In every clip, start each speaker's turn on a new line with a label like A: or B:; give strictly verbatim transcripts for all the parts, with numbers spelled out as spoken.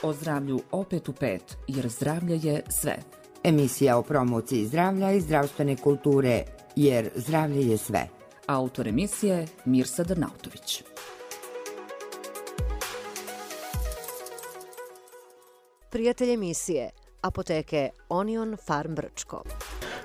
A: O zdravlju opet u pet, jer zdravlje je sve.
B: Emisija o promociji zdravlja i zdravstvene kulture, jer zdravlje je sve.
A: Autor emisije Mirsa Drnautović.
C: Prijatelj emisije, apoteke Onion Farm Brčko.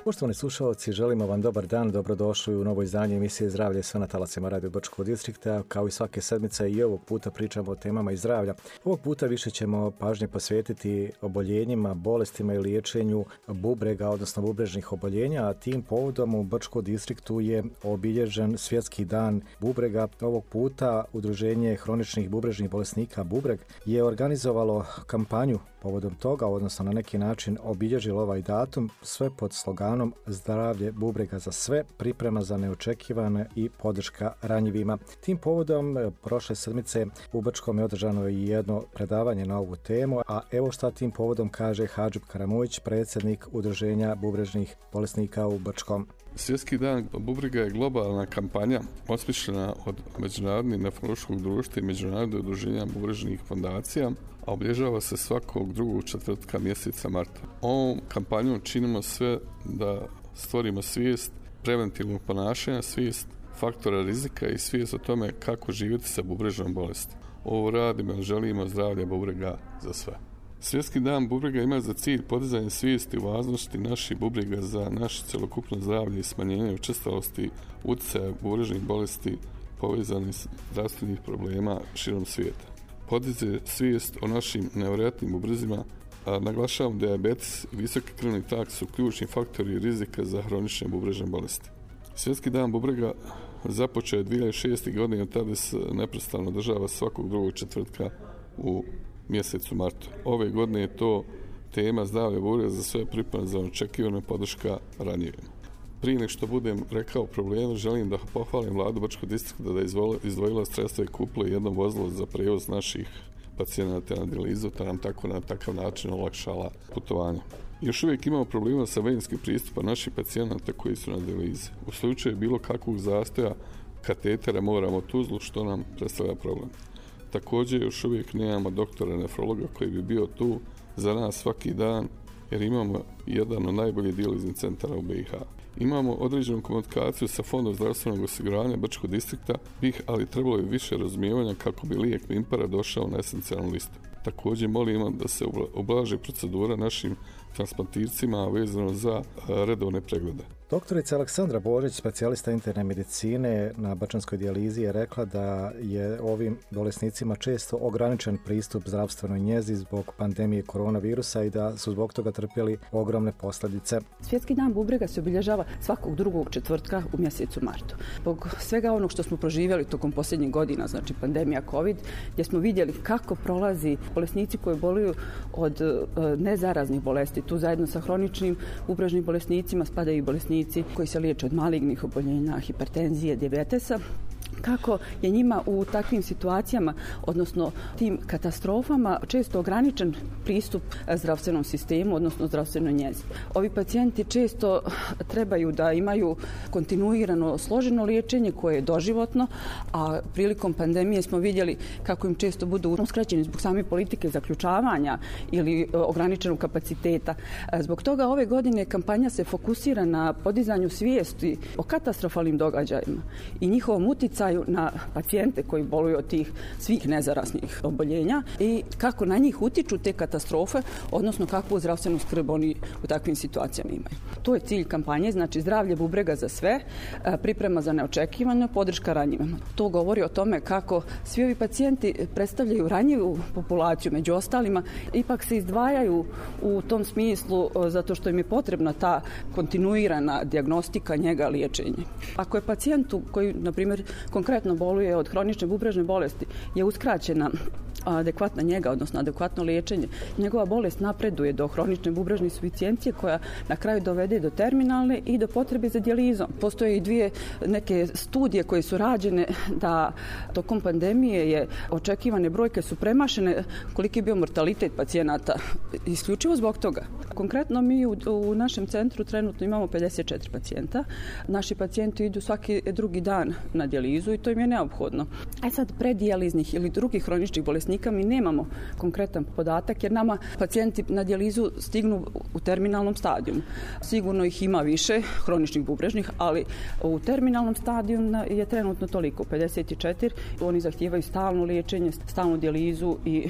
D: Poštovani slušalci, želimo vam dobar dan, dobrodošli u novo izdanje emisije Zdravlje sve na talasima Radio Brčkog distrikta. Kao i svake sedmice i ovog puta pričamo o temama iz zdravlja. Ovog puta više ćemo pažnje posvetiti oboljenjima, bolestima i liječenju bubrega, odnosno bubrežnih oboljenja, a tim povodom u Brčkom distriktu je obilježen Svjetski dan bubrega. Ovog puta Udruženje hroničnih bubrežnih bolesnika Bubreg je organizovalo kampanju povodom toga, odnosno na neki način obilježilo ovaj datum, sve pod sloganom Zdravlje bubrega za sve, priprema za neočekivane i podrška ranjivima. Tim povodom prošle sedmice u Brčkom je održano i jedno predavanje na ovu temu, a evo šta tim povodom kaže Hadžib Karamujić, predsjednik Udruženja bubrežnih bolesnika u Brčkom.
E: Svjetski dan bubrega je globalna kampanja osmišljena od Međunarodnog nefrološkog društva i Međunarodnog udruženja bubrežnih fondacija, a obilježava se svakog drugog četvrtka mjeseca marta. Ovom kampanjom činimo sve da stvorimo svijest preventivnog ponašanja, svijest faktora rizika i svijest o tome kako živjeti sa bubrežnom bolesti. Ovo radimo jer želimo zdravlje bubrega za sve. Svjetski dan bubrega ima za cilj podizanje svijesti u važnosti naših bubrega za naše cjelokupno zdravlje i smanjenje učestalosti utjecaja bubrežnih bolesti povezanih s zdravstvenih problema širom svijeta. Podiže svijest o našim nevjerojatnim bubrezima, a naglašavam dijabetes i visoki krvni tlak su ključni faktori rizika za hronične bubrežne bolesti. Svjetski dan bubrega započeo je dvije hiljade šeste. godine, tada se neprestano održava svakog drugog četvrtka u mjesecu martu. Ove godine je to tema zdravlja bubrega za sve, priprema za očekivanu podrška ranjivima. Prije nego što budem rekao problemu, želim da pohvalim vladu Brčkog distrikta da je izdvojila sredstva i kupila jedno vozilo za prijevoz naših pacijenata na dijalizu, te nam tako na takav način olakšala putovanje. Još uvijek imamo problema sa venjskim pristupom naših pacijenata koji su na dijalizi. U slučaju bilo kakvog zastoja katetera moramo Tuzlu, što nam predstavlja problem. Također još uvijek nemamo doktora nefrologa koji bi bio tu za nas svaki dan, jer imamo jedan od najboljih dijaliznih centara u B i H. Imamo određenu komunikaciju sa Fondom zdravstvenog osiguranja Brčkog distrikta, bih, ali trebalo je više razumijevanja kako bi lijek Mimpara došao na esencijalnu listu. Također molimo da se ublaži procedura našim transplantircima vezano za redovne preglede.
D: Doktorica Aleksandra Božić, specijalista interne medicine na Brčanskoj dijalizi, je rekla da je ovim bolesnicima često ograničen pristup zdravstvenoj njezi zbog pandemije koronavirusa i da su zbog toga trpjeli ogromne posljedice.
F: Svjetski dan bubrega se obilježava svakog drugog četvrtka u mjesecu martu. Zbog svega onog što smo proživjeli tokom posljednjih godina, znači pandemija COVID, gdje smo vidjeli kako prolazi bolesnici koji boluju od nezaraznih bolesti. Tu zajedno sa hroničnim bubrežnim bolesnicima spadaju i bolesnici koji se liječe od malignih oboljenja, hipertenzije, dijabetesa. Kako je njima u takvim situacijama, odnosno tim katastrofama, često ograničen pristup zdravstvenom sistemu, odnosno zdravstvenoj njezi. Ovi pacijenti često trebaju da imaju kontinuirano složeno liječenje koje je doživotno, a prilikom pandemije smo vidjeli kako im često budu uskraćeni zbog same politike zaključavanja ili ograničenog kapaciteta. Zbog toga ove godine kampanja se fokusira na podizanju svijesti o katastrofalnim događajima i njihovom utjecaju na pacijente koji boluju od tih svih nezaraznih oboljenja i kako na njih utiču te katastrofe, odnosno kakvu zdravstvenu skrb oni u takvim situacijama imaju. To je cilj kampanje, znači zdravlje bubrega za sve, priprema za neočekivano, podrška ranjivima. To govori o tome kako svi ovi pacijenti predstavljaju ranjivu populaciju, među ostalima ipak se izdvajaju u tom smislu zato što im je potrebna ta kontinuirana dijagnostika, njega, liječenje. Ako je pacijentu koji, na primjer, konkretno boluje od hronične bubrežne bolesti, je uskraćena adekvatna njega, odnosno adekvatno liječenje, njegova bolest napreduje do hronične bubrežne insuficijencije koja na kraju dovede do terminalne i do potrebe za dijalizom. Postoje i dvije neke studije koje su rađene da tokom pandemije je očekivane brojke su premašene koliki je bio mortalitet pacijenata isključivo zbog toga. Konkretno mi u, u našem centru trenutno imamo pedeset četiri pacijenta. Naši pacijenti idu svaki drugi dan na dijalizu i to im je neophodno. A sad predijaliznih ili drugih hroničnih bolesnika bolesnika mi nemamo konkretan podatak jer nama pacijenti na dijalizu stignu u terminalnom stadiju. Sigurno ih ima više, hroničnih bubrežnih, ali u terminalnom stadiju je trenutno toliko, pedeset četiri. Oni zahtijevaju stalno liječenje, stalnu dijalizu i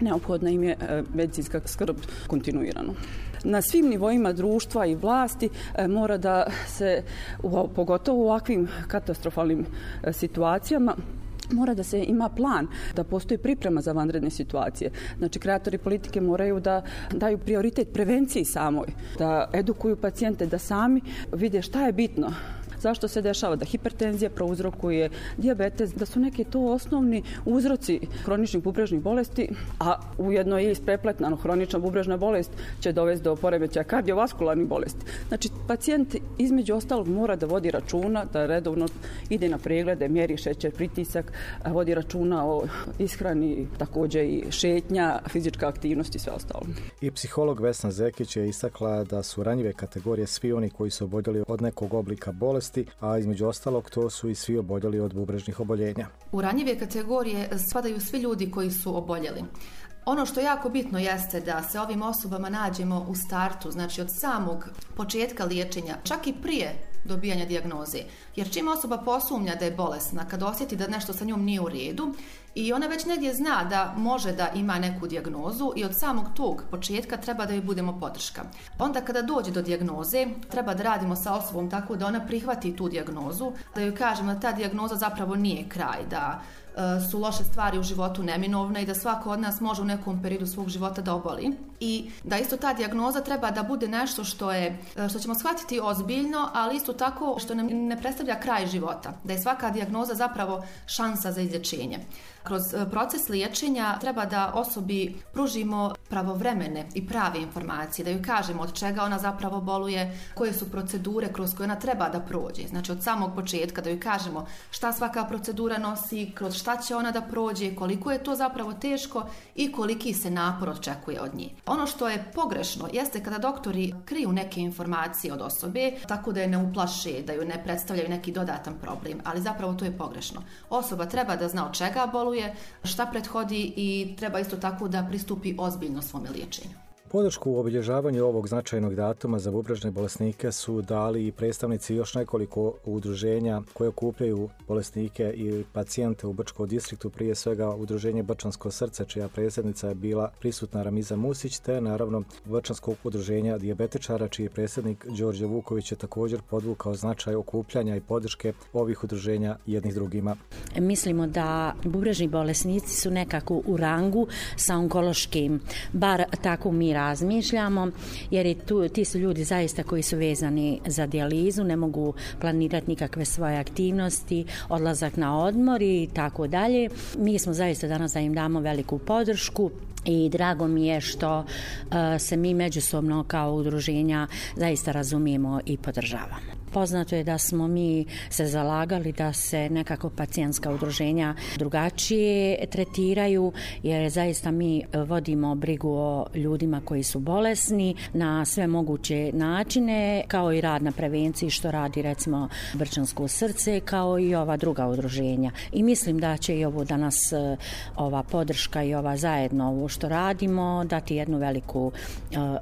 F: neophodna im je medicinska skrb kontinuirano. Na svim nivoima društva i vlasti mora da se, pogotovo u ovakvim katastrofalnim situacijama, mora da se ima plan, da postoji priprema za vanredne situacije. Znači, kreatori politike moraju da daju prioritet prevenciji samoj, da edukuju pacijente, da sami vide šta je bitno. Zašto se dešava da hipertenzija prouzrokuje dijabetes, da su neki to osnovni uzroci hroničnih bubrežnih bolesti, a ujedno je isprepletano. Hronična bubrežna bolest će dovesti do poremećaja kardiovaskularnih bolesti. Znači, pacijent između ostalog mora da vodi računa, da redovno ide na preglede, mjeri šećer, pritisak, vodi računa o ishrani, također i šetnja, fizička aktivnost i sve ostalo.
D: I psiholog Vesna Zekić je istakla da su ranjive kategorije svi oni koji su oboljeli od nekog oblika bolesti, a između ostalog to su i svi oboljeli od bubrežnih oboljenja.
G: U ranjive kategorije spadaju svi ljudi koji su oboljeli. Ono što jako bitno jeste da se ovim osobama nađemo u startu, znači od samog početka liječenja, čak i prije dobijanja dijagnoze. Jer čim osoba posumnja da je bolesna, kad osjeti da nešto sa njom nije u redu i ona već negdje zna da može da ima neku dijagnozu i od samog tog početka treba da joj budemo podrška. Onda kada dođe do dijagnoze, treba da radimo sa osobom tako da ona prihvati tu dijagnozu, da joj kažemo da ta dijagnoza zapravo nije kraj, da su loše stvari u životu neminovne i da svako od nas može u nekom periodu svog života da oboli. I da isto ta dijagnoza treba da bude nešto što je, što ćemo shvatiti ozbiljno, ali isto tako što nam ne predstavlja kraj života. Da je svaka dijagnoza zapravo šansa za izlječenje. Kroz proces liječenja treba da osobi pružimo pravovremene i prave informacije, da joj kažemo od čega ona zapravo boluje, koje su procedure kroz koje ona treba da prođe. Znači od samog početka da joj kažemo šta svaka procedura nosi, kroz šta će ona da prođe, koliko je to zapravo teško i koliki se napor očekuje od nje. Ono što je pogrešno jeste kada doktori kriju neke informacije od osobe, tako da je ne uplaše, da joj ne predstavljaju neki dodatan problem, ali zapravo to je pogrešno. Osoba treba da zna od čega boluje, šta prethodi i treba isto tako da pristupi ozbiljno svome liječenju.
D: Podršku u obilježavanju ovog značajnog datuma za bubrežne bolesnike su dali i predstavnici još nekoliko udruženja koje okupljaju bolesnike i pacijente u Brčkom distriktu, prije svega udruženje Brčansko srce, čija predsjednica je bila prisutna Ramiza Musić, te naravno Brčanskog udruženja dijabetičara, čiji predsjednik Đorđe Vuković je također podvukao značaj okupljanja i podrške ovih udruženja jednih drugima.
H: Mislimo da bubrežni bolesnici su nekako u rangu sa onkološkim, bar tako mi razmišljamo, jer je tu, ti su ljudi zaista koji su vezani za dijalizu, ne mogu planirati nikakve svoje aktivnosti, odlazak na odmor i tako dalje. Mi smo zaista danas da im damo veliku podršku i drago mi je što uh, se mi međusobno kao udruženja zaista razumijemo i podržavamo. Poznato je da smo mi se zalagali da se nekako pacijentska udruženja drugačije tretiraju, jer zaista mi vodimo brigu o ljudima koji su bolesni na sve moguće načine, kao i rad na prevenciji što radi recimo Brčansko srce, kao i ova druga udruženja. I mislim da će i ovo danas ova podrška i ova zajedno ovo što radimo dati jednu veliku uh,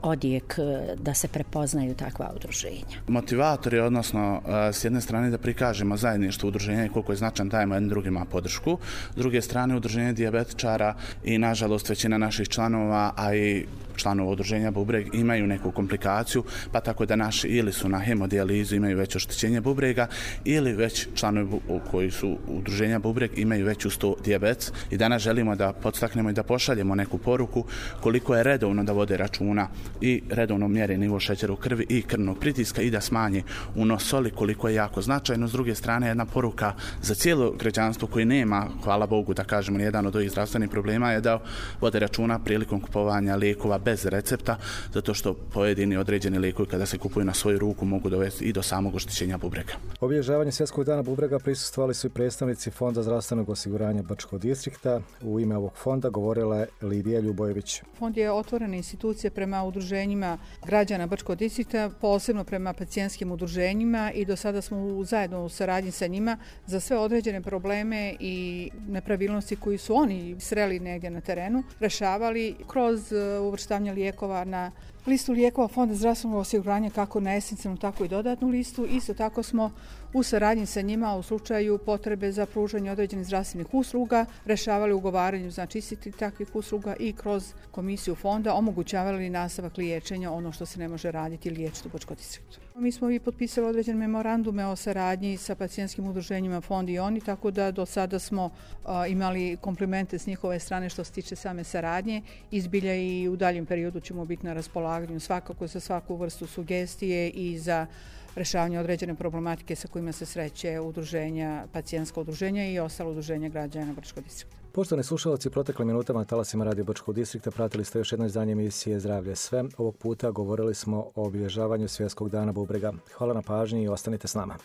H: odjek da se prepoznaju takva udruženja.
I: Motivator je odnosno s jedne strane da prikažemo zajedništvo udruženja i koliko je značan dajemo jednim drugima podršku, s druge strane udruženje dijabetičara i nažalost većina naših članova, a i članova udruženja bubreg imaju neku komplikaciju, pa tako da naši ili su na hemodijalizu, imaju već oštećenje bubrega, ili već članovi koji su udruženja bubreg imaju već uz to dijabetes. I danas želimo da podstaknemo i da pošaljemo neku poruku koliko je redovno da vode računa i redovno mjere nivo šećera u krvi i krvnog pritiska i da smanje unos soli, koliko je jako značajno. S druge strane, jedna poruka za cijelo građanstvo koji nema, hvala Bogu da kažemo, jedan od ovih zdravstvenih problema je da vode računa prilikom kupovanja lijekova bez recepta, zato što pojedini određeni lijekovi kada se kupuju na svoju ruku mogu dovesti i do samog oštećenja bubrega.
D: Obilježavanje Svjetskog dana bubrega prisustvovali su i predstavnici Fonda zdravstvenog osiguranja Brčkog distrikta. U ime ovog fonda govorila je Lidija Ljubojević.
J: Fond je otvorena institucija prema udruženjima građana Brčkog distrikta, posebno prema pacijentskim udruženjima udruženjima i do sada smo zajedno u saradnji sa njima za sve određene probleme i nepravilnosti koji su oni sreli negdje na terenu, rešavali kroz uvrštavanje lijekova na listu lijekova Fonda zdravstvenog osiguranja, kako na esencijalnu, tako i dodatnu listu. Isto tako smo u saradnji sa njima u slučaju potrebe za pružanje određenih zdravstvenih usluga rešavali ugovaranju, znači istih takvih usluga i kroz komisiju fonda omogućavali nastavak liječenja, ono što se ne može raditi liječiti u Bačkom distriktu. Mi smo i potpisali određene memorandume o saradnji sa pacijentskim udruženjima Fond i oni, tako da do sada smo a, imali komplimente s njihove strane što se tiče same saradnje. Izbilja i u daljem periodu ćemo biti na raspolaganju svakako za svaku vrstu sugestije i za rešavanje određene problematike sa kojima se sreće udruženja, pacijentska udruženja i ostala udruženja građana Bačkog distrikta.
D: Poštovani slušalci, proteklim minutama na talasima Radio Bačkog distrikta pratili ste još jedno izdanje emisije Zdravlje sve. Ovog puta govorili smo o obilježavanju Svjetskog dana bubrega. Hvala na pažnji i ostanite s nama.